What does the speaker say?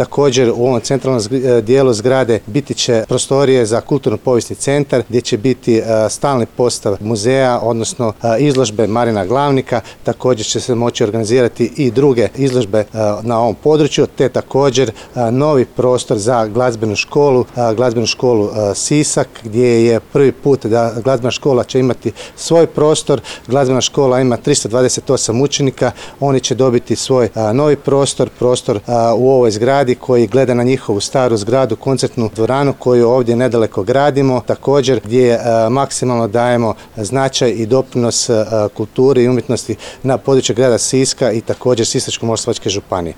Također u ovom centralnom dijelu zgrade biti će prostorije za kulturno-povijesni centar gdje će biti stalni postav muzeja, odnosno izložbe Marina Glavnika. Također će se moći organizirati i druge izložbe na ovom području, te također novi prostor za glazbenu školu Sisak, gdje je prvi put da glazbena škola će imati svoj prostor. Glazbena škola ima 328 učenika, oni će dobiti svoj novi prostor u ovoj zgradi koji gleda na njihovu staru zgradu, koncertnu dvoranu koju ovdje nedaleko gradimo, također gdje maksimalno dajemo značaj i doprinos kulturi i umjetnosti na području grada Siska i također Sisačko-moslavačke županije.